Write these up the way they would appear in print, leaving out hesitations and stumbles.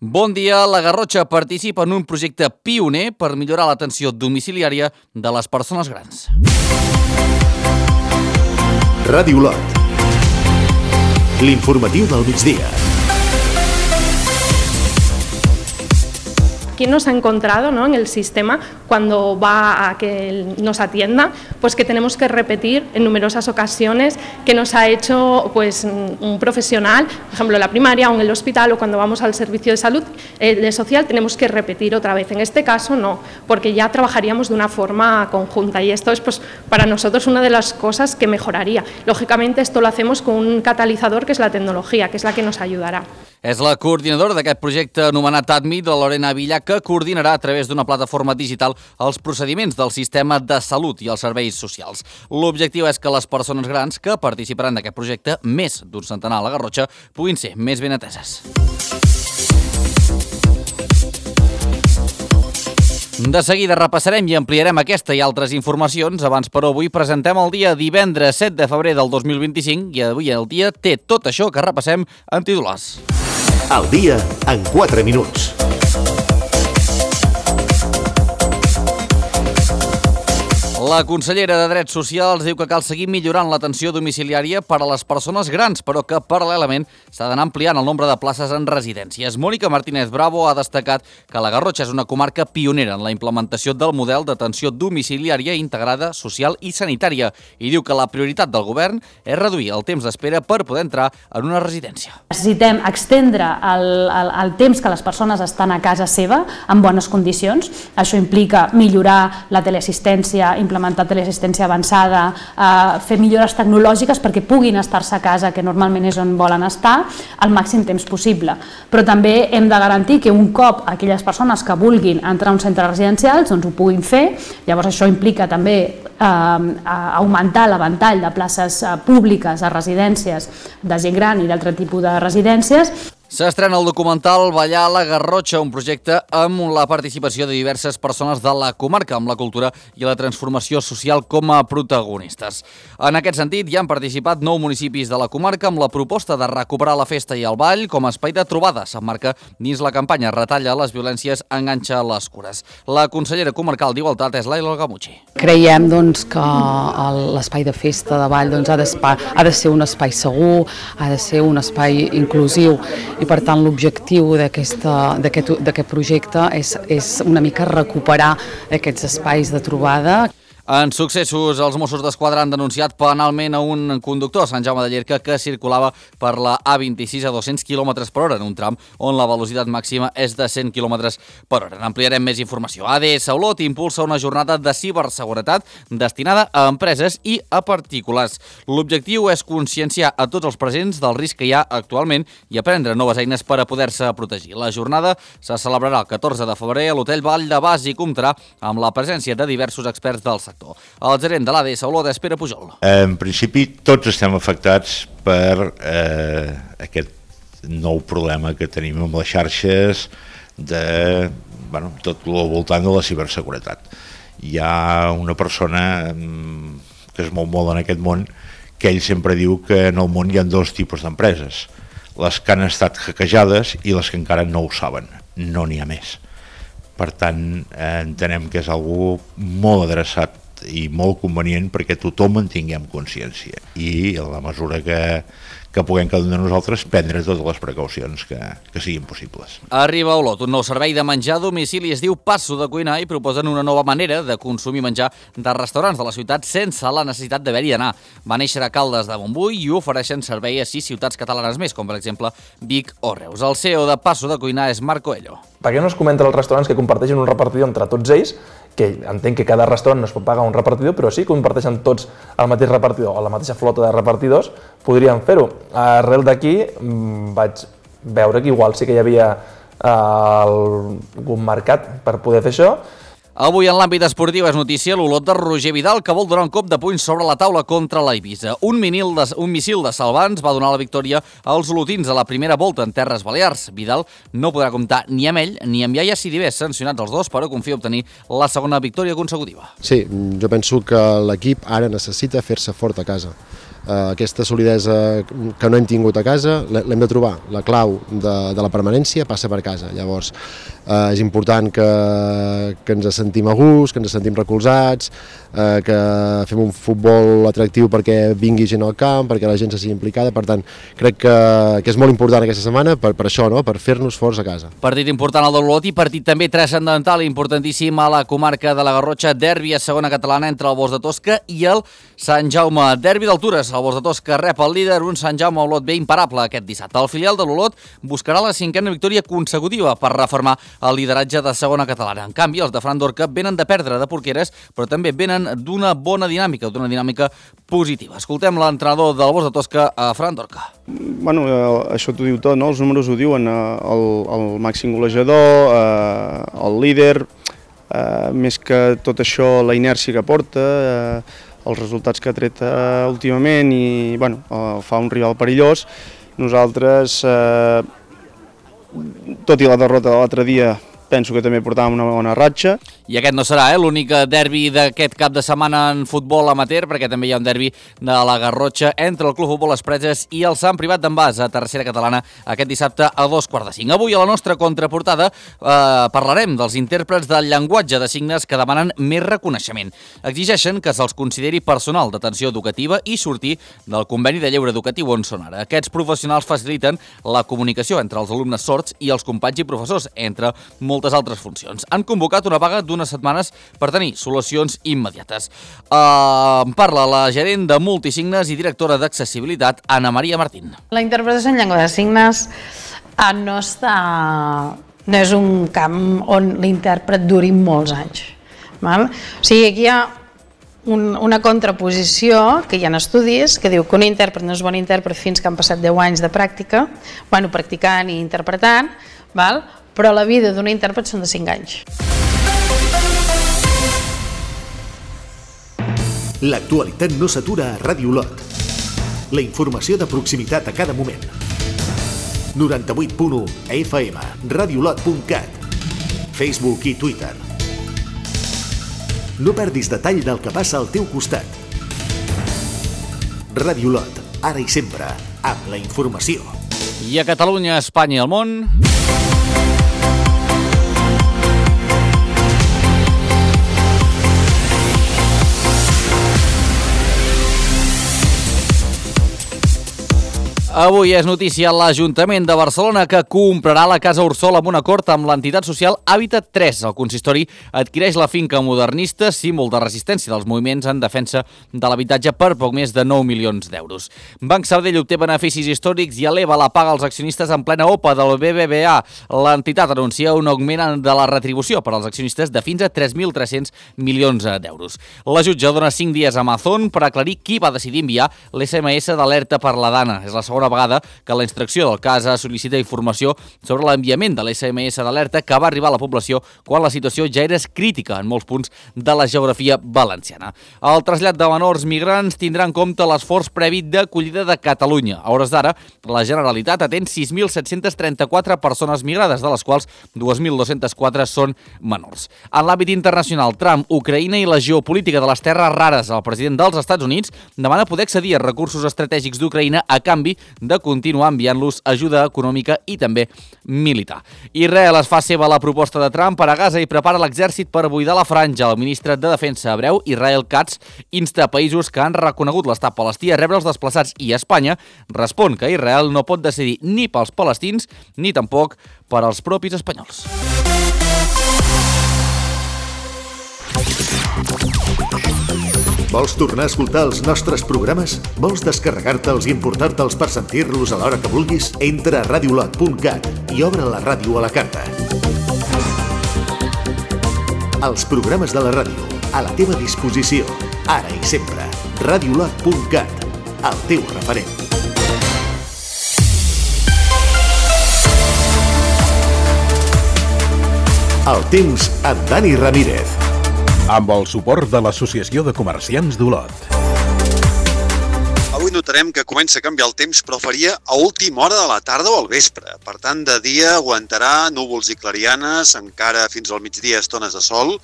Bon dia, la Garrotxa participa en un projecte pioner per millorar l'atenció domiciliària de les persones grans. Ràdio Lot. L'informatiu del migdia. ¿Qué nos ha encontrado, ¿no?, en el sistema cuando va a que nos atienda? Pues que tenemos que repetir en numerosas ocasiones que nos ha hecho pues, un profesional, por ejemplo en la primaria o en el hospital o cuando vamos al servicio de salud de social, tenemos que repetir otra vez. En este caso no, porque ya trabajaríamos de una forma conjunta y esto es pues, para nosotros una de las cosas que mejoraría. Lógicamente esto lo hacemos con un catalizador que es la tecnología, que es la que nos ayudarà. És la coordinadora d'aquest projecte anomenat ADMIT, la Lorena Villa, que coordinarà a través d'una plataforma digital els procediments del sistema de salut i els serveis socials. L'objectiu és que les persones grans que participaran d'aquest projecte, més d'un centenar a la Garrotxa, puguin ser més ben ateses. De seguida repassarem i ampliarem aquesta i altres informacions. Abans, però, avui presentem el dia divendres 7 de febrer del 2025 i avui el dia té tot això que repassem en titulars. El dia en 4 minuts. La consellera de Drets Socials diu que cal seguir millorant l'atenció domiciliària per a les persones grans, però que paral·lelament s'ha d'anar ampliant el nombre de places en residències. Mònica Martínez Bravo ha destacat que la Garrotxa és una comarca pionera en la implementació del model d'atenció domiciliària integrada, social i sanitària i diu que la prioritat del govern és reduir el temps d'espera per poder entrar en una residència. Necessitem extendre el temps que les persones estan a casa seva en bones condicions. Això implica millorar la teleassistència, implementar teleassistència avançada, fer millores tecnològiques perquè puguin estar-se a casa, que normalment és on volen estar, al màxim temps possible. Però també hem de garantir que un cop aquelles persones que vulguin entrar a un centre residencial doncs ho puguin fer. Llavors això implica també augmentar la ventall de places públiques a residències de gent gran i d'altre tipus de residències. S'estrena el documental Ballar a la Garrotxa, un projecte amb la participació de diverses persones de la comarca, amb la cultura i la transformació social com a protagonistes. En aquest sentit, hi han participat 9 municipis de la comarca amb la proposta de recuperar la festa i el ball com a espai de trobada. S'emmarca dins la campanya Retalla les violències, enganxa les cures. La consellera comarcal d'Igualtat és Laila Algamuchi. Creiem que l'espai de festa, de ball, ha de ser un espai segur, ha de ser un espai inclusiu i per tant l'objectiu d'aquest projecte és una mica recuperar aquests espais de trobada. En successos, els Mossos d'Esquadra han denunciat penalment a un conductor a Sant Jaume de Llierca que circulava per la A26 a 200 km per hora en un tram on la velocitat màxima és de 100 km per hora. N'ampliarem més informació. ADS Olot impulsa una jornada de ciberseguretat destinada a empreses i a particulars. L'objectiu és conscienciar a tots els presents del risc que hi ha actualment i aprendre noves eines per a poder-se protegir. La jornada se celebrarà el 14 de febrer a l'Hotel Vall de Bas i comptarà amb la presència de diversos experts del sector. El gerent de l'ADS Olot és Pere Pujol. En principi, tots estem afectats per aquest nou problema que tenim amb les xarxes de tot el voltant de la ciberseguretat. Hi ha una persona que es mou molt en aquest món que ell sempre diu que en el món hi ha 2 tipus d'empreses, les que han estat hackejades i les que encara no ho saben, no n'hi ha més. Per tant, entenem que és algú molt adreçat i molt convenient perquè tothom en tinguem consciència i a la mesura que puguem cada un de nosaltres prendre totes les precaucions que siguin possibles. Arriba a Olot un nou servei de menjar a domicili, es diu Passo de Cuinar i proposen una nova manera de consumir menjar de restaurants de la ciutat sense la necessitat d'haver-hi d'anar. Va néixer a Caldes de Montbui i ofereixen servei a 6 ciutats catalanes més, com per exemple Vic o Reus. El CEO de Passo de Cuinar és Marc Coelho. Per què no es comenta als restaurants que comparteixen un repartidor entre tots ells, que entenc que cada restaurant no es pot pagar un repartidor, però sí que comparteixen tots el mateix repartidor o la mateixa flota de repartidors, podrien fer-ho. Arrel d'aquí vaig veure que igual sí que hi havia algun mercat per poder fer això. Avui en l'àmbit esportiu és notícia l'Olot de Roger Vidal, que vol donar un cop de puny sobre la taula contra l'Eivissa. Un missil de Salvans va donar la victòria als olotins a la primera volta en Terres Balears. Vidal no podrà comptar ni amb ell ni amb Iaia Sidibés, sancionats els dos, però confia obtenir la segona victòria consecutiva. Sí, jo penso que l'equip ara necessita fer-se fort a casa. aquesta solidesa que no hem tingut a casa l'hem de trobar. La clau de la permanència passa per casa. Llavors és important que ens sentim a gust, que ens sentim recolzats, que fem un futbol atractiu perquè vingui gent al camp, perquè la gent se sigui implicada. Per tant, crec que és molt important aquesta setmana per això, no? Per fer-nos forts a casa. Partit important al d'Olot i partit també transcendental i importantíssim a la comarca de la Garrotxa, derbi a segona catalana entre el Bos de Tosca i el Sant Jaume. Derbi d'altures, el Bos de Tosca rep el líder, un Sant Jaume Olot bé imparable aquest dissabte. El filial de l'Olot buscarà la 5a victòria consecutiva per reformar el lideratge de segona catalana. En canvi, els de Fran Dorca venen de perdre de Porqueres, però també venen d'una bona dinàmica, d'una dinàmica positiva. Escoltem l'entrenador del Bos de Tosca, Fran Dorca. Bueno, això t'ho diu tot, no? Els números ho diuen, el màxim golejador, el líder, més que tot això la inèrcia que porta, els resultats que ha tret últimament i bueno, fa un rival perillós. Nosaltres, tot i la derrota de l'altre dia, penso que també portàvem una bona ratxa. I aquest no serà l'únic derbi d'aquest cap de setmana en futbol amateur, perquè també hi ha un derbi de la Garrotxa entre el Club Futbol Les Preses i el Sant Privat d'en Bas a tercera catalana aquest dissabte a 2:45. Avui a la nostra contraportada parlarem dels intèrprets del llenguatge de signes que demanen més reconeixement. Exigeixen que se'ls consideri personal d'atenció educativa i sortir del conveni de lleure educatiu on són ara. Aquests professionals faciliten la comunicació entre els alumnes sords i els companys i professors, entre moltes altres funcions. Han convocat una vaga d'unes setmanes per tenir solucions immediates. Parla la gerent de Multisignes i directora d'accessibilitat, Anna Maria Martín. La interpretació en llengua de signes no és un camp on l'intèrpret duri molts anys. Val? O sigui, aquí hi ha una contraposició, que hi ha estudis, que diu que un intèrpret no és bon intèrpret fins que han passat 10 anys de pràctica, practicant i interpretant, val? Però la vida d'un intèrpret són de 5 anys. L'actualitat no s'atura a Ràdio Olot. La informació de proximitat a cada moment. 98.1 FM, radiolot.cat, Facebook i Twitter. No perdis detall del que passa al teu costat. Ràdio Olot, ara i sempre, amb la informació. I a Catalunya, Espanya i el món... Avui és notícia l'Ajuntament de Barcelona que comprarà la Casa Ursol amb un acord amb l'entitat social Hàbitat 3. El consistori adquireix la finca modernista, símbol de resistència dels moviments en defensa de l'habitatge per poc més de 9 milions d'euros. Banc Sabadell obté beneficis històrics i eleva la paga als accionistes en plena OPA del BBVA. L'entitat anuncia un augment de la retribució per als accionistes de fins a 3.300 milions d'euros. La jutge dona 5 dies a Amazon per aclarir qui va decidir enviar l'SMS d'alerta per la Dana. És la segona vegada que la instrucció del cas sol·licita informació sobre l'enviament de l'SMS d'alerta que va arribar a la població quan la situació ja era crítica en molts punts de la geografia valenciana. El trasllat de menors migrants tindrà en compte l'esforç previ d'acollida de Catalunya. A hores d'ara, la Generalitat atén 6.734 persones migrades, de les quals 2.204 són menors. En l'àmbit internacional, Trump, Ucraïna i la geopolítica de les terres rares. El president dels Estats Units demana poder accedir a recursos estratègics d'Ucraïna a canvi de continuar enviant-los ajuda econòmica i també militar. Israel es fa seva la proposta de Trump per a Gaza i prepara l'exèrcit per buidar la franja. El ministre de Defensa hebreu, Israel Katz, insta a països que han reconegut l'estat palestí a rebre els desplaçats i Espanya respon que Israel no pot decidir ni pels palestins ni tampoc per als propis espanyols. Vols tornar a escoltar els nostres programes? Vols descarregar-te'ls i emportar-te'ls per sentir-los a l'hora que vulguis? Entra a radiolot.cat i obre la ràdio a la carta. Els programes de la ràdio, a la teva disposició, ara i sempre. Radiolot.cat, el teu referent. El temps amb Dani Ramírez. Amb el suport de l'Associació de Comerciants d'Olot. Avui notarem que comença a canviar el temps, però faria a última hora de la tarda o al vespre. Per tant, de dia aguantarà núvols i clarianes, encara fins al migdia estones de sol,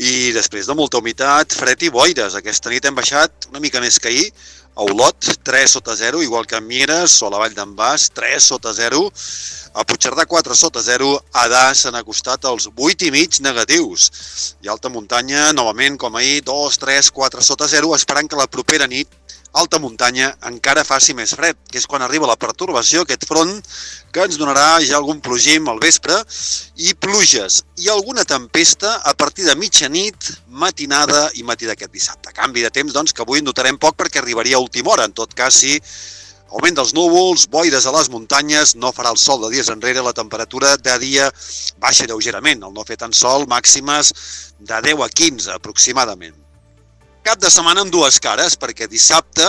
i després de molta humitat, fred i boires. Aquesta nit hem baixat una mica més que ahir A Olot, 3 sota 0, igual que a Mieres o la Vall d'en Bas, 3 sota 0. A Puigcerdà, 4 sota 0. A Das s'han acostat als 8,5 negatius. I Alta Muntanya, novament, com ahir, 2, 3, 4 sota 0, esperant que la propera nit alta muntanya encara faci més fred, que és quan arriba la pertorbació, aquest front, que ens donarà ja algun plogim al vespre, i pluges i alguna tempesta a partir de mitjanit, matinada i matí d'aquest dissabte. Canvi de temps, doncs, que avui notarem poc perquè arribaria a última hora. En tot cas, sí, augment dels núvols, boires a les muntanyes, no farà el sol de dies enrere, la temperatura de dia baixa lleugerament. Al no fer tant sol, màximes de 10 a 15 aproximadament. Cap de setmana amb dues cares, perquè dissabte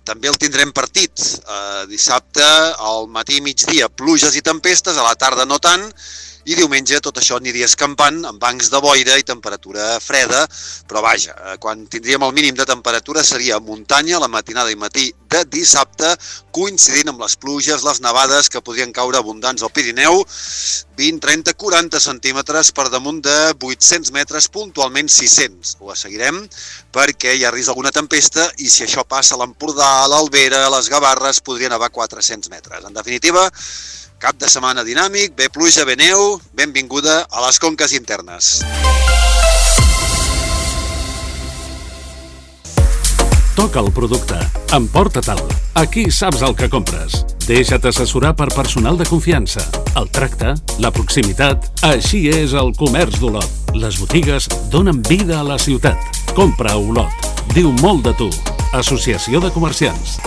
també el tindrem partit. Dissabte al matí i migdia pluges i tempestes, a la tarda no tant, i diumenge tot això aniria escampant amb bancs de boira i temperatura freda, però vaja, quan tindríem el mínim de temperatura seria a muntanya la matinada i matí de dissabte, coincidint amb les pluges, les nevades que podrien caure abundants al Pirineu, 20, 30, 40 centímetres per damunt de 800 metres, puntualment 600. Ho seguirem perquè hi ha risc d'alguna tempesta i si això passa a l'Empordà, a l'Albera, a les Gavarres, podria nevar 400 metres. En definitiva, cap de setmana dinàmic, bé pluja, bé neu, benvinguda a les conques internes. Toca el producte. Emporta-te'l. Aquí saps el que compres. Deixa't assessorar per personal de confiança. El tracte, la proximitat, així és el comerç d'Olot. Les botigues donen vida a la ciutat. Compra a Olot. Diu molt de tu. Associació de Comerciants.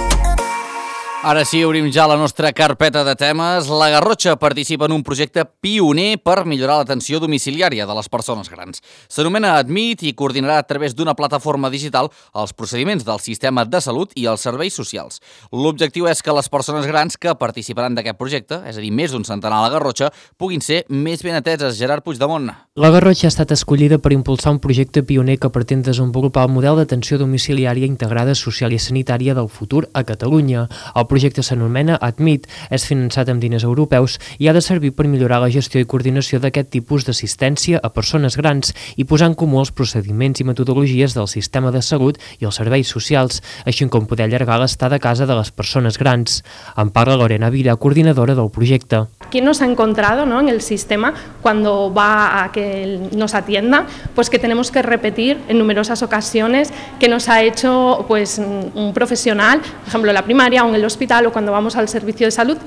Ara sí, obrim ja la nostra carpeta de temes. La Garrotxa participa en un projecte pioner per millorar l'atenció domiciliària de les persones grans. S'anomena Admit i coordinarà a través d'una plataforma digital els procediments del sistema de salut i els serveis socials. L'objectiu és que les persones grans que participaran d'aquest projecte, és a dir, més d'un centenar a la Garrotxa, puguin ser més ben ateses. Gerard Puigdemont. La Garrotxa ha estat escollida per impulsar un projecte pioner que pretén desenvolupar el model d'atenció domiciliària integrada social i sanitària del futur a Catalunya. El projecte s'anomena Admit, és finançat amb diners europeus i ha de servir per millorar la gestió i coordinació d'aquest tipus d'assistència a persones grans i posar en comú els procediments i metodologies del sistema de salut i els serveis socials, així com poder allargar l'estada a casa de les persones grans. En parla Lorena Vila, coordinadora del projecte. ¿Qué nos ha encontrado, ¿no?, en el sistema cuando va a que nos atienda? Pues que tenemos que repetir en numerosas ocasiones que nos ha hecho pues un profesional, por ejemplo en la primaria o en el hospital o cuando vamos al servicio de salud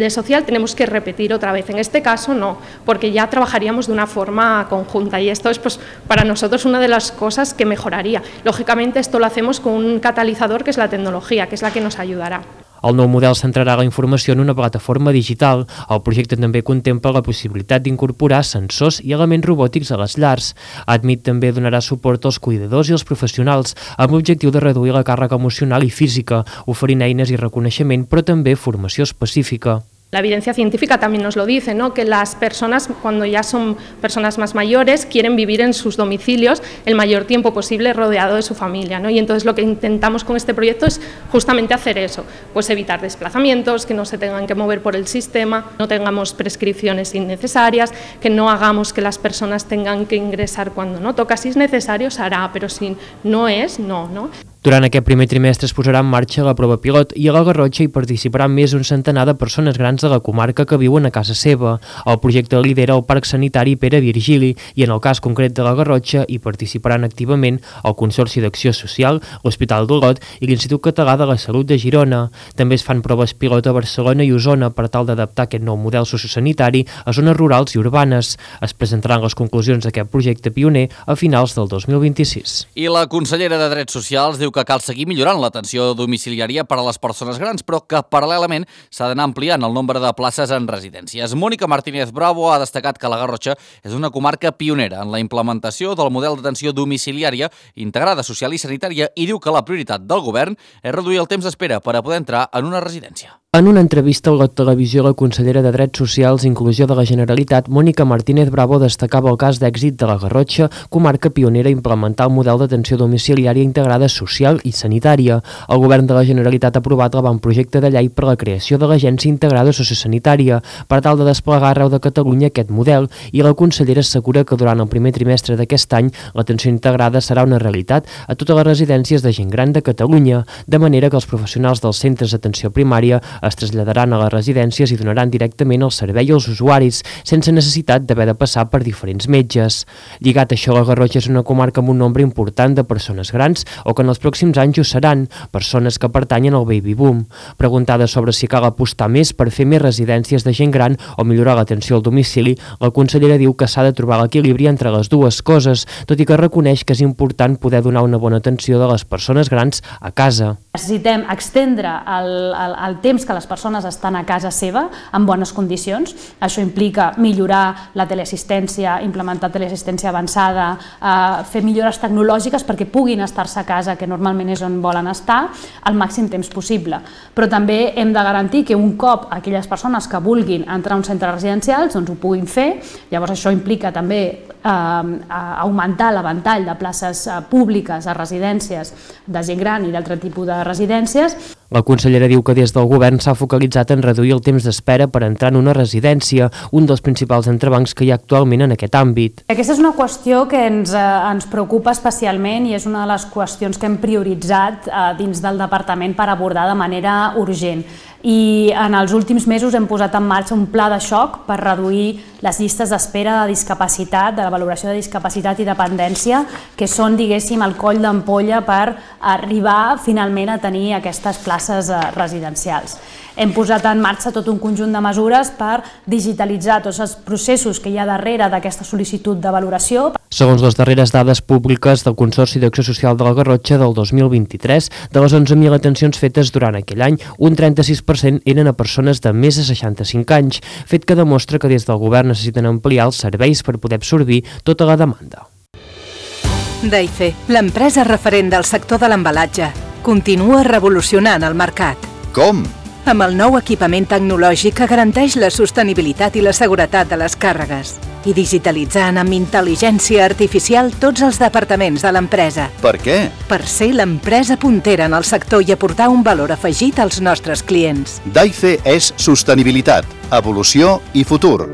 social, tenemos que repetir otra vez. En este caso no, porque ya trabajaríamos de una forma conjunta y esto es pues para nosotros una de las cosas que mejoraría. Lógicamente esto lo hacemos con un catalizador que es la tecnología, que es la que nos ayudará. El nou model centrarà la informació en una plataforma digital. El projecte també contempla la possibilitat d'incorporar sensors i elements robòtics a les llars. Admit també donarà suport als cuidadors i als professionals amb l'objectiu de reduir la càrrega emocional i física, oferint eines i reconeixement, però també formació específica. La evidencia científica también nos lo dice, ¿no?, que las personas, cuando ya son personas más mayores, quieren vivir en sus domicilios el mayor tiempo posible rodeado de su familia, ¿no? Y entonces lo que intentamos con este proyecto es justamente hacer eso, pues evitar desplazamientos, que no se tengan que mover por el sistema, no tengamos prescripciones innecesarias, que no hagamos que las personas tengan que ingresar cuando no toca. Si es necesario, se hará, pero si no es, no, ¿no? Durant aquest primer trimestre es posarà en marxa la prova pilot i a la Garrotxa hi participaran més d'un centenar de persones grans de la comarca que viuen a casa seva. El projecte lidera el Parc Sanitari Pere Virgili i en el cas concret de la Garrotxa hi participaran activament el Consorci d'Acció Social, l'Hospital d'Olot i l'Institut Català de la Salut de Girona. També es fan proves pilot a Barcelona i Osona per tal d'adaptar aquest nou model sociosanitari a zones rurals i urbanes. Es presentaran les conclusions d'aquest projecte pioner a finals del 2026. I la consellera de Drets Socials diu que cal seguir millorant l'atenció domiciliària per a les persones grans, però que paral·lelament s'ha d'anar ampliant el nombre de places en residències. Mónica Martínez Bravo ha destacat que la Garrotxa és una comarca pionera en la implementació del model d'atenció domiciliària integrada social i sanitària i diu que la prioritat del govern és reduir el temps d'espera per a poder entrar en una residència. En una entrevista a la televisió, la consellera de Drets Socials i Inclusió de la Generalitat, Mònica Martínez Bravo, destacava el cas d'èxit de la Garrotxa, comarca pionera a implementar el model d'atenció domiciliària integrada social i sanitària. El govern de la Generalitat ha aprovat l'avantprojecte de llei per a la creació de l'Agència Integrada Sociosanitària per tal de desplegar arreu de Catalunya aquest model, i la consellera assegura que durant el primer trimestre d'aquest any l'atenció integrada serà una realitat a totes les residències de gent gran de Catalunya, de manera que els professionals dels centres d'atenció primària es traslladaran a les residències i donaran directament el servei als usuaris, sense necessitat d'haver de passar per diferents metges. Lligat a això, la Garrotxa és una comarca amb un nombre important de persones grans, o que en els pròxims anys ho seran, persones que pertanyen al baby boom. Preguntada sobre si cal apostar més per fer més residències de gent gran o millorar l'atenció al domicili, la consellera diu que s'ha de trobar l'equilibri entre les dues coses, tot i que reconeix que és important poder donar una bona atenció de les persones grans a casa. Necessitem extendre el temps que les persones estan a casa seva en bones condicions. Això implica millorar la teleassistència, implementar teleassistència avançada, fer millores tecnològiques perquè puguin estar-se a casa, que normalment és on volen estar, al màxim temps possible. Però també hem de garantir que un cop aquelles persones que vulguin entrar a un centre residencial doncs ho puguin fer. Llavors això implica també augmentar la ventall de places públiques a residències de gent gran i d'altre tipus de residències. La consellera diu que des del govern s'ha focalitzat en reduir el temps d'espera per entrar en una residència, un dels principals entrebancs que hi ha actualment en aquest àmbit. Aquesta és una qüestió que ens preocupa especialment i és una de les qüestions que hem prioritzat dins del departament per abordar de manera urgent. I en els últims mesos hem posat en marxa un pla de xoc per reduir les llistes d'espera de discapacitat, de la valoració de discapacitat i dependència, que són, diguéssim, el coll d'ampolla per arribar finalment a tenir aquestes places residencials. Hem posat en marxa tot un conjunt de mesures per digitalitzar tots els processos que hi ha darrere d'aquesta sol·licitud de valoració. Segons les darreres dades públiques del Consorci d'Acció Social de la Garrotxa del 2023, de les 11.000 atencions fetes durant aquell any, un 36% eren a persones de més de 65 anys, fet que demostra que des del govern necessiten ampliar els serveis per poder absorbir tota la demanda. Daife, l'empresa referent del sector de l'embalatge, continua revolucionant el mercat. Com? Amb el nou equipament tecnològic que garanteix la sostenibilitat i la seguretat de les càrregues i digitalitzant amb intel·ligència artificial tots els departaments de l'empresa. Per què? Per ser l'empresa puntera en el sector i aportar un valor afegit als nostres clients. Daife és sostenibilitat, evolució i futur.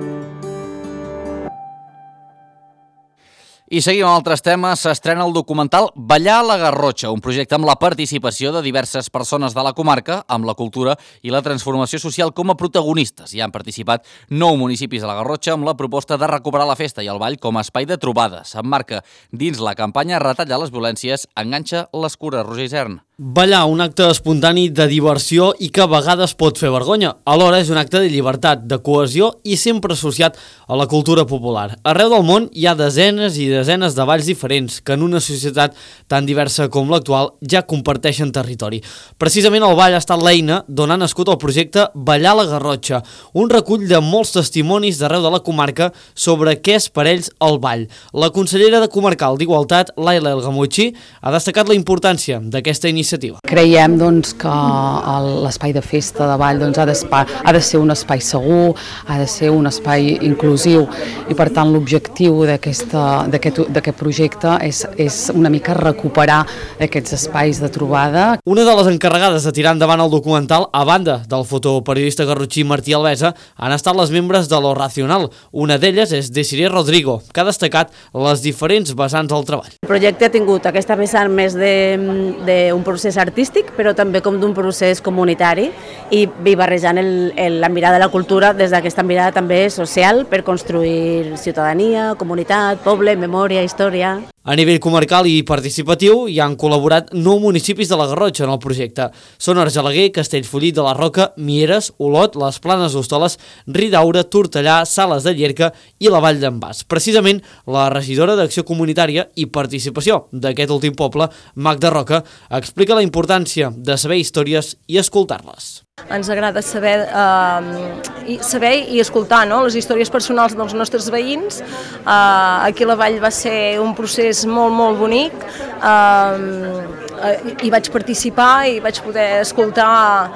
I seguim amb altres temes. S'estrena el documental Ballar a la Garrotxa, un projecte amb la participació de diverses persones de la comarca, amb la cultura i la transformació social com a protagonistes. Hi han participat 9 municipis de la Garrotxa amb la proposta de recuperar la festa i el ball com a espai de trobada. S'emmarca dins la campanya Retallar les violències, enganxa les cures. Roger Isern. Ballar, un acte espontani de diversió i que a vegades pot fer vergonya. Alhora és un acte de llibertat, de cohesió i sempre associat a la cultura popular. Arreu del món hi ha desenes i desenes de balls diferents que en una societat tan diversa com l'actual ja comparteixen territori. Precisament el ball ha estat l'eina d'on ha nascut el projecte Ballar a la Garrotxa, un recull de molts testimonis d'arreu de la comarca sobre què és per ells el ball. La consellera de Comarcal d'Igualtat, Laila El Gamutxi, ha destacat la importància d'aquesta iniciativa. Creiem que l'espai de festa de ball ha de ser un espai segur, ha de ser un espai inclusiu i per tant l'objectiu d'aquest projecte és una mica recuperar aquests espais de trobada. Una de les encarregades de tirar endavant el documental, a banda del fotoperiodista garrotxí Martí Alvesa, han estat les membres de Lo Racional. Una d'elles és Desiree Rodrigo, que ha destacat les diferents vessants del treball. El projecte ha tingut aquesta vessant més d'un procés artístic, però també com d'un procés comunitari i barrejant la mirada de la cultura des d'aquesta mirada també social per construir ciutadania, comunitat, poble, memòria, història. A nivell comarcal i participatiu hi han col·laborat 9 municipis de la Garrotxa en el projecte. Són Argelaguer, Castellfollit de la Roca, Mieres, Olot, les Planes d'Hostoles, Ridaura, Tortellà, Sales de Llierca i la Vall d'en Bas. Precisament, la regidora d'Acció Comunitària i Participació d'aquest últim poble, Magda Roca, explica la importància de saber històries i escoltar-les. Ens agrada saber i escoltar les històries personals dels nostres veïns. Aquí a la Vall va ser un procés molt, molt bonic. Hi vaig participar i vaig poder escoltar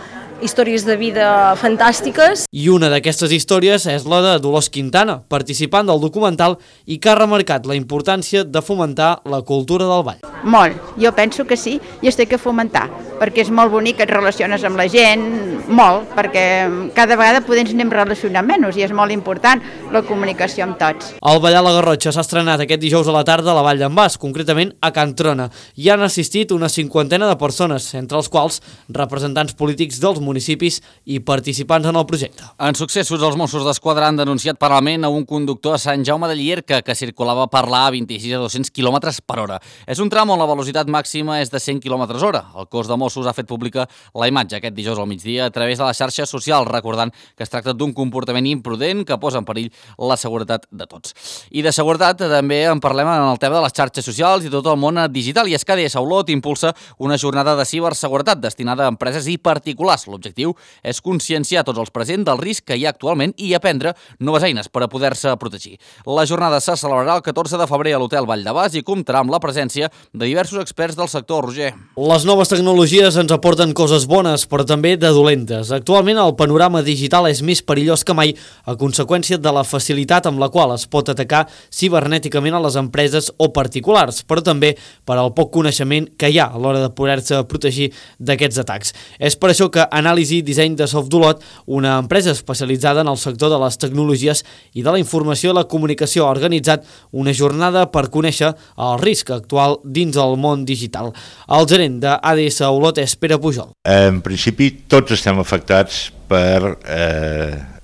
històries de vida fantàstiques. I una d'aquestes històries és la de Dolors Quintana, participant del documental i que ha remarcat la importància de fomentar la cultura del ball. Molt, jo penso que sí, i es té que fomentar, perquè és molt bonic que et relaciones amb la gent, molt, perquè cada vegada potser ens anem relacionant menys i és molt important la comunicació amb tots. El Ballar la Garrotxa s'ha estrenat aquest dijous a la tarda a la Vall d'en Bas, concretament a Can Trona. Hi han assistit una 50 de persones, entre els quals representants polítics dels municipis i participants en el projecte. En successos, els Mossos d'Esquadra han denunciat penalment a un conductor a Sant Jaume de Llierca que circulava per la A26 a 200 km per hora. És un tram on la velocitat màxima és de 100 km hora. El cos de Mossos ha fet pública la imatge aquest dijous al migdia a través de les xarxes socials, recordant que es tracta d'un comportament imprudent que posa en perill la seguretat de tots. I de seguretat també en parlem en el tema de les xarxes socials i tot el món digital, i és que ADS Olot impulsa una jornada de ciberseguretat destinada a empreses i particulars. L'objectiu és conscienciar tots els presents del risc que hi ha actualment i aprendre noves eines per a poder-se protegir. La jornada se celebrarà el 14 de febrer a l'Hotel Vall de Bas i comptarà amb la presència de diversos experts del sector. Roger. Les noves tecnologies ens aporten coses bones, però també de dolentes. Actualment el panorama digital és més perillós que mai a conseqüència de la facilitat amb la qual es pot atacar cibernèticament a les empreses o particulars, però també per al poc coneixement que hi ha a l'hora de poder-se protegir d'aquests atacs. És per això que Anàlisi Disseny de Softolot, una empresa especialitzada en el sector de les tecnologies i de la informació i la comunicació, ha organitzat una jornada per conèixer el risc actual dins el món digital. El gerent d'ADS Olot és Pere Pujol. En principi tots estem afectats per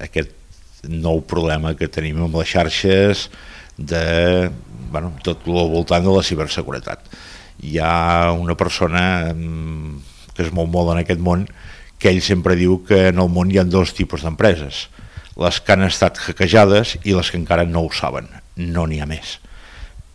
aquest nou problema que tenim amb les xarxes de tot el voltant de la ciberseguretat. Hi ha una persona que es mou molt en aquest món que ell sempre diu que en el món hi ha dos tipus d'empreses, les que han estat hackejades i les que encara no ho saben, no n'hi ha més.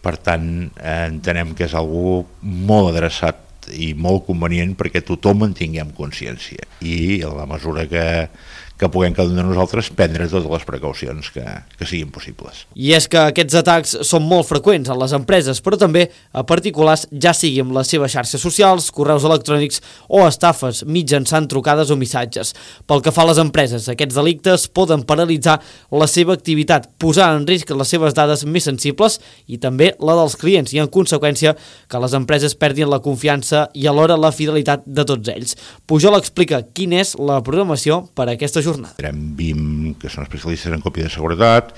Per tant, entenem que és algo molt adreçat i molt convenient perquè tothom en tinguem consciència i a la mesura que puguem cada un de nosaltres prendre totes les precaucions que siguin possibles. I és que aquests atacs són molt freqüents a les empreses, però també a particulars, ja sigui amb les seves xarxes socials, correus electrònics o estafes mitjançant trucades o missatges. Pel que fa a les empreses, aquests delictes poden paralitzar la seva activitat, posar en risc les seves dades més sensibles i també la dels clients i, en conseqüència, que les empreses perdin la confiança i alhora la fidelitat de tots ells. Pujol explica quina és la programació per a aquesta jornada. Tindrem BIM, que són especialistes en còpia de seguretat,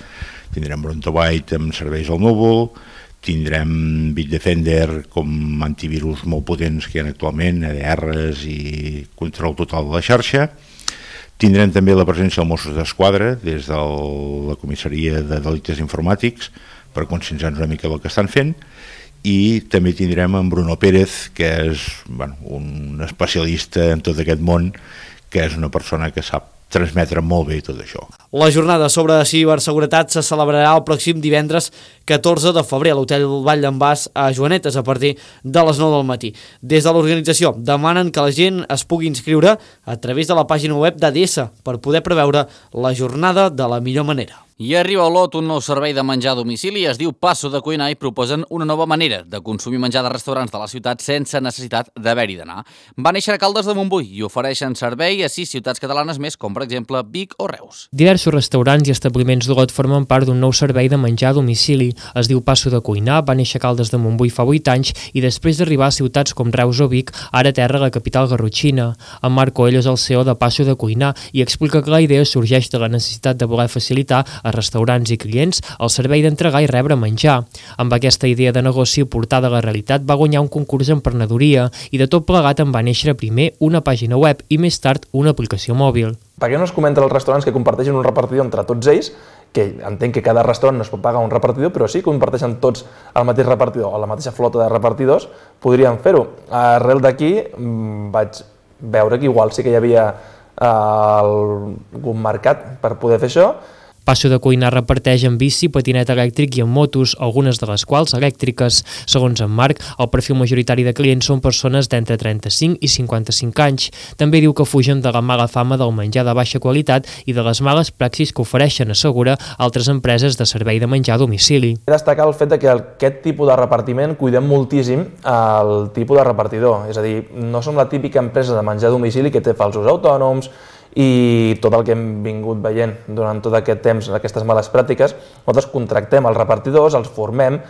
tindrem Brontobyte amb serveis al núvol, tindrem Bitdefender com antivirus molt potents que hi ha actualment, EDRs i control total de la xarxa. Tindrem també la presència dels Mossos d'Esquadra des de la comissaria de delictes informàtics per conscienciar-nos una mica del que estan fent, i també tindrem en Bruno Pérez, que és un especialista en tot aquest món, que és una persona que sap transmetre molt bé tot això. La jornada sobre ciberseguretat se celebrarà el pròxim divendres 14 de febrer a l'Hotel Vall d'en Bas a Joanetes a partir de les 9 del matí. Des de l'organització demanen que la gent es pugui inscriure a través de la pàgina web d'ADS per poder preveure la jornada de la millor manera. I arriba a Olot un nou servei de menjar a domicili, es diu Passo de Cuinar, i proposen una nova manera de consumir menjar de restaurants de la ciutat sense necessitat d'haver-hi d'anar. Va néixer a Caldes de Montbui i ofereixen servei a 6 ciutats catalanes més, com per exemple Vic o Reus. Diversos restaurants i establiments d'Olot formen part d'un nou servei de menjar a domicili. Es diu Passo de Cuinar, va néixer a Caldes de Montbui fa 8 anys i després d'arribar a ciutats com Reus o Vic, ara terra la capital garrotxina. En Marc Coelho és el CEO de Passo de Cuinar i explica que la idea sorgeix de la necessitat de voler facilitar a restaurants i clients el servei d'entregar i rebre menjar. Amb aquesta idea de negoci portada a la realitat va guanyar un concurs d'emprenedoria i de tot plegat en va néixer primer una pàgina web i més tard una aplicació mòbil. Per què no es comenta als restaurants que comparteixen un repartidor entre tots ells, que entenc que cada restaurant no es pot pagar un repartidor, però sí que comparteixen tots el mateix repartidor o la mateixa flota de repartidors, podrien fer-ho. Arrel d'aquí vaig veure que igual sí que hi havia algun mercat per poder fer això. Passo de Cuinar reparteix en bici, patinet elèctric i en motos, algunes de les quals elèctriques. Segons en Marc, el perfil majoritari de clients són persones d'entre 35 i 55 anys. També diu que fugen de la mala fama del menjar de baixa qualitat i de les males praxis que ofereixen, assegura, altres empreses de servei de menjar a domicili. Destacar el fet que aquest tipus de repartiment cuidem moltíssim el tipus de repartidor, és a dir, no som la típica empresa de menjar a domicili que té falsos autònoms i tot el que hem vingut veient durant tot aquest temps, aquestes males pràctiques. Nosaltres contractem els repartidors, els formem.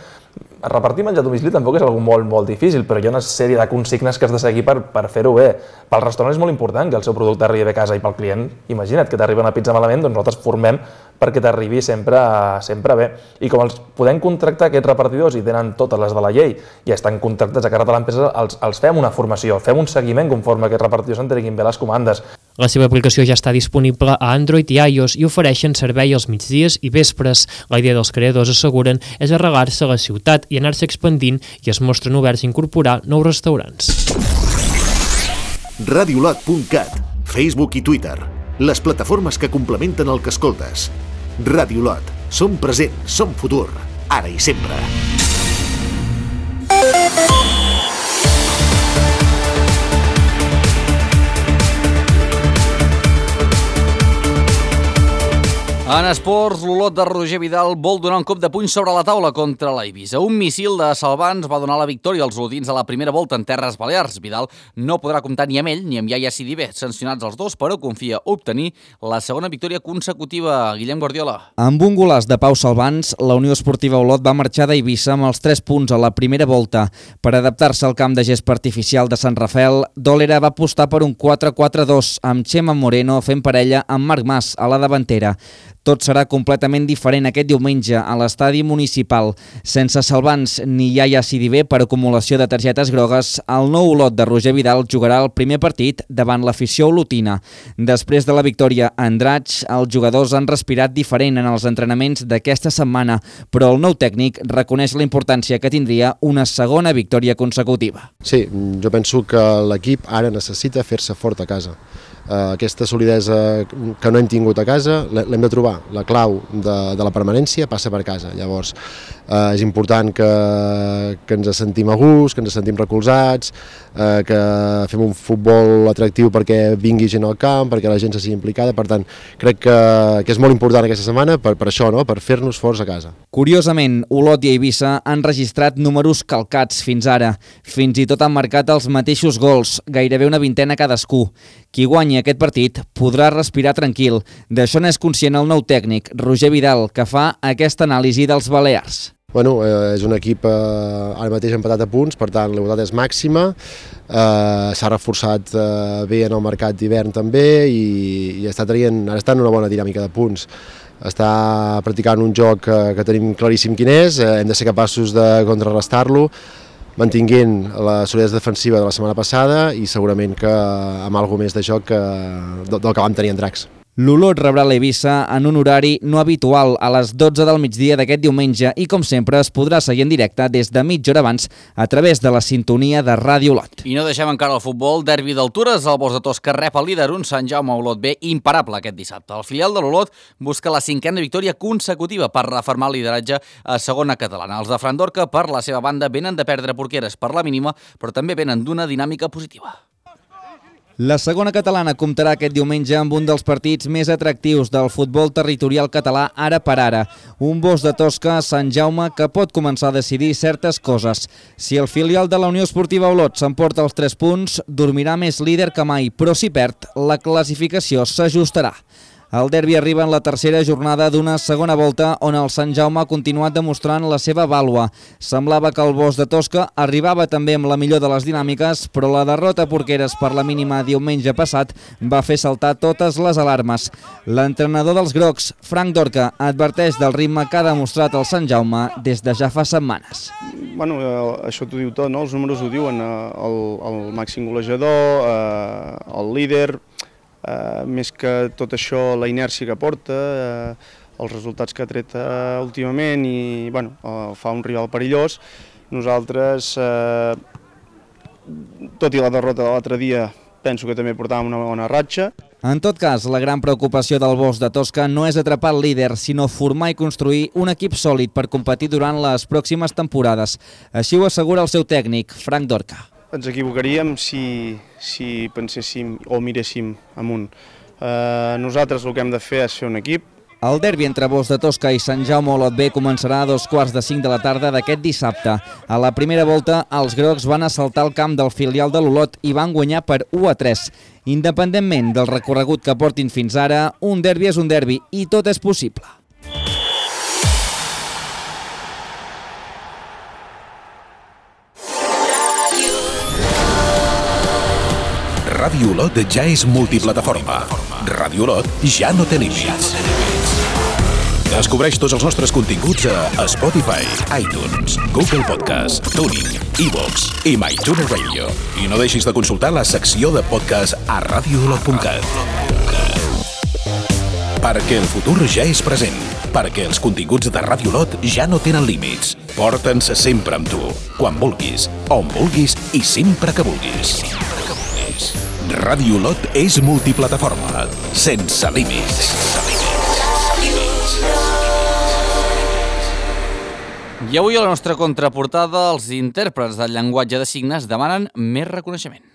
Repartir menjar a domicili tampoc és una cosa molt difícil, però hi ha una sèrie de consignes que has de seguir per fer-ho bé. Pel restaurant és molt important que el seu producte arribi bé a casa i pel client, imagina't que t'arriba una pizza malament, doncs nosaltres formem perquè t'arribi sempre bé. I com els podem contractar aquests repartidors i tenen totes les de la llei i estan contractats a càrrec de l'empresa, els fem una formació, fem un seguiment conforme aquests repartidors s'entreguin bé les comandes. La seva aplicació ja està disponible a Android i iOS i ofereixen servei als migdies i vespres. La idea dels creadors, asseguren, és arrelar-se a la ciutat i anar-se expandint i es mostren oberts a incorporar nous restaurants. Radiolot.cat, Facebook i Twitter, les plataformes que complementen el que escoltes. Radiolot, som present, som futur, ara i sempre. En esports, l'Olot de Roger Vidal vol donar un cop de puny sobre la taula contra l'Eivissa. Un míssil de Salvans va donar la victòria als olotins a la primera volta en Terres Balears. Vidal no podrà comptar ni amb ell ni amb Yaya Sidibé, sancionats els dos, però confia obtenir la segona victòria consecutiva. Guillem Guardiola. Amb un golaç de Pau Salvans, la Unió Esportiva Olot va marxar d'Eivissa amb els 3 punts a la primera volta. Per adaptar-se al camp de gespa artificial de Sant Rafael, Dòlera va apostar per un 4-4-2, amb Chema Moreno fent parella amb Marc Mas a la davantera. Tot serà completament diferent aquest diumenge a l'estadi municipal. Sense Salvans ni Yaya Sidibé per acumulació de targetes grogues, el nou Olot de Roger Vidal jugarà el primer partit davant l'afició olotina. Després de la victòria a Andratx, els jugadors han respirat diferent en els entrenaments d'aquesta setmana, però el nou tècnic reconeix la importància que tindria una segona victòria consecutiva. Sí, jo penso que l'equip ara necessita fer-se fort a casa. Aquesta solidesa que no hem tingut a casa l'hem de trobar. La clau de la permanència passa per casa. Llavors és important que ens sentim a gust, que ens sentim recolzats, que fem un futbol atractiu perquè vingui gent al camp, perquè la gent se sigui implicada. Per tant, crec que és molt important aquesta setmana per això, no? Per fer-nos forts a casa. Curiosament, Olot i Eivissa han registrat números calcats fins ara. Fins i tot han marcat els mateixos gols, gairebé una vintena cadascú. Qui guanyi aquest partit podrà respirar tranquil. D'això n'és conscient el nou tècnic, Roger Vidal, que fa aquesta anàlisi dels balears. Bueno, és un equip ara mateix empatat a punts, per tant la igualtat és màxima, s'ha reforçat bé en el mercat d'hivern també i ara està en una bona dinàmica de punts. Està practicant un joc que tenim claríssim quin és, hem de ser capaços de contrarrestar-lo, mantinguent la solidesa defensiva de la setmana passada i segurament que amb alguna més de joc del que vam tenir en Dracs. L'Olot rebrà l'Eivissa en un horari no habitual a les 12 del migdia d'aquest diumenge i, com sempre, es podrà seguir en directe des de mitja hora abans a través de la sintonia de Ràdio Olot. I no deixem encara el futbol. Derbi d'Altures, el Bos de Tosca rep el líder, un Sant Jaume Olot B imparable aquest dissabte. El filial de l'Olot busca la 5a victòria consecutiva per refermar el lideratge a segona catalana. Els de Fran Dorca, per la seva banda, venen de perdre Porqueres per la mínima, però també venen d'una dinàmica positiva. La segona catalana comptarà aquest diumenge amb un dels partits més atractius del futbol territorial català ara per ara. Un Bos de Tosca a Sant Jaume que pot començar a decidir certes coses. Si el filial de la Unió Esportiva Olot s'emporta els 3 punts, dormirà més líder que mai, però si perd, la classificació s'ajustarà. El derbi arriba en la tercera jornada d'una segona volta on el Sant Jaume ha continuat demostrant la seva vàlua. Semblava que el Bos de Tosca arribava també amb la millor de les dinàmiques, però la derrota a Porqueres per la mínima diumenge passat va fer saltar totes les alarmes. L'entrenador dels grocs, Frank Dorca, adverteix del ritme que ha demostrat el Sant Jaume des de ja fa setmanes. Bueno, això t'ho diu tot, no? Els números ho diuen, el màxim golejador, el líder. Més que tot això, la inèrcia que porta, els resultats que ha tret últimament i bueno, fa un rival perillós. Nosaltres, tot i la derrota de l'altre dia, penso que també portàvem una bona ratxa. En tot cas, la gran preocupació del Bosch de Tosca no és atrapar el líder, sinó formar i construir un equip sòlid per competir durant les pròximes temporades. Així ho assegura el seu tècnic, Frank Dorca. Ens equivocaríem si penséssim o miréssim amunt. Nosaltres el que hem de fer és fer un equip. El derbi entre Bosch de Tosca i Sant Jaume Olot B començarà a 2:45 de la tarda d'aquest dissabte. A la primera volta, els grocs van assaltar el camp del filial de l'Olot i van guanyar per 1-3. Independentment del recorregut que portin fins ara, un derbi és un derbi i tot és possible. Ràdio Olot ja és multiplataforma. Ràdio Olot ja no té límits. Descobreix tots els nostres continguts a Spotify, iTunes, Google Podcast, TuneIn, iVoox i MyTuner Radio. I no deixis de consultar la secció de podcast a radioolot.cat. Perquè el futur ja és present. Perquè els continguts de Ràdio Olot ja no tenen límits. Porta'ns sempre amb tu, quan vulguis, on vulguis i sempre que vulguis. Ràdio Olot és multiplataforma, sense límits. I avui a la nostra contraportada, els intèrprets del llenguatge de signes demanen més reconeixement.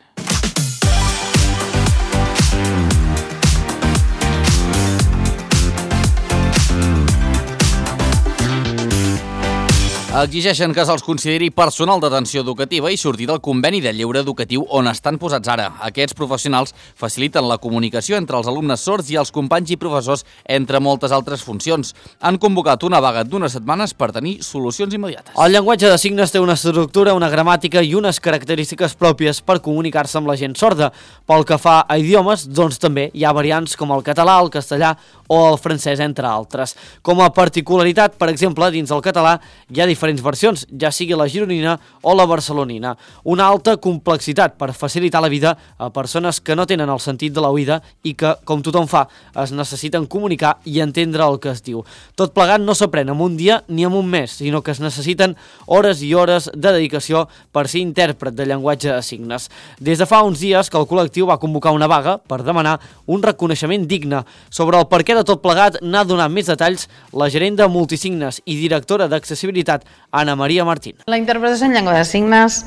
Exigeixen que se'ls consideri personal d'atenció educativa i sortir del conveni de lleure educatiu on estan posats ara. Aquests professionals faciliten la comunicació entre els alumnes sords i els companys i professors, entre moltes altres funcions. Han convocat una vaga d'unes setmanes per tenir solucions immediates. El llenguatge de signes té una estructura, una gramàtica i unes característiques pròpies per comunicar-se amb la gent sorda. Pel que fa a idiomes, doncs també hi ha variants com el català, el castellà o el francès, entre altres. Com a particularitat, per exemple, dins el català hi ha diferents versions, ja sigui la gironina o la barcelonina. Una alta complexitat per facilitar la vida a persones que no tenen el sentit de l'oïda i que, com tothom fa, es necessiten comunicar i entendre el que es diu. Tot plegat no s'aprèn en un dia ni en un mes, sinó que es necessiten hores i hores de dedicació per ser intèrpret de llenguatge de signes. Des de fa uns dies que el col·lectiu va convocar una vaga per demanar un reconeixement digne. Sobre el perquè de tot plegat n'ha donat més detalls la gerent de Multisignes i directora d'accessibilitat, Ana Maria Martín. La interpretació en llengua de signes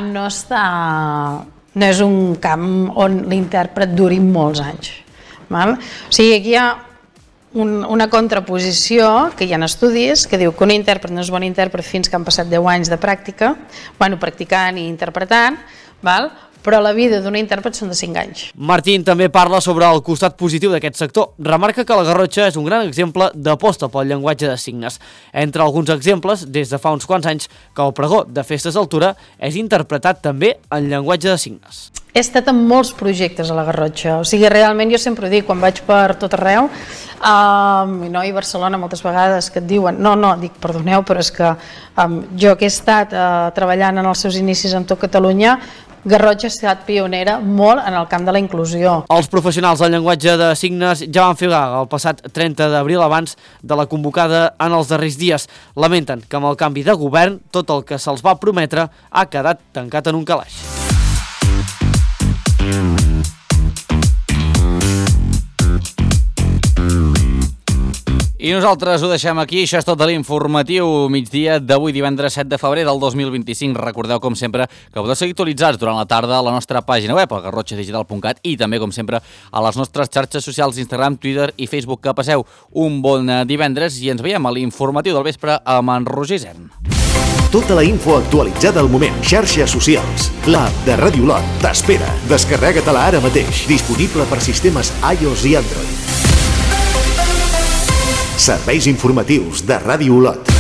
no és un camp on l'intèrpret duri molts anys. O sigui, aquí hi ha una contraposició, que hi ha estudis, que diu que un intèrpret no és bon intèrpret fins que han passat 10 anys de pràctica, practicant i interpretant, però la vida d'un intèrpret són de 5 anys. Martín també parla sobre el costat positiu d'aquest sector. Remarca que la Garrotxa és un gran exemple d'aposta pel llenguatge de signes. Entre alguns exemples, des de fa uns quants anys, que el pregó de festes d'altura és interpretat també en llenguatge de signes. He estat en molts projectes a la Garrotxa, o sigui, realment jo sempre ho dic, quan vaig per tot arreu, i Barcelona moltes vegades que et diuen, dic, perdoneu, però és que jo que he estat treballant en els seus inicis en tot Catalunya, Garrotxa ha estat pionera molt en el camp de la inclusió. Els professionals del llenguatge de signes ja van fer vaga el passat 30 d'abril abans de la convocada en els darrers dies. Lamenten que amb el canvi de govern tot el que se'ls va prometre ha quedat tancat en un calaix. I nosaltres ho deixem aquí, això és tot de l'informatiu migdia d'avui divendres 7 de febrer del 2025. Recordeu, com sempre, que podeu seguir actualitzats durant la tarda a la nostra pàgina web, al garrotxadigital.cat, i també, com sempre, a les nostres xarxes socials Instagram, Twitter i Facebook. Que passeu un bon divendres i ens veiem a l'informatiu del vespre amb en Roger Isern. Tota la info actualitzada al moment. Xarxes socials. L'app de Ràdio Olot t'espera. Descarrega-te-la ara mateix. Disponible per sistemes iOS i Android. Serveis informatius de Ràdio Olot.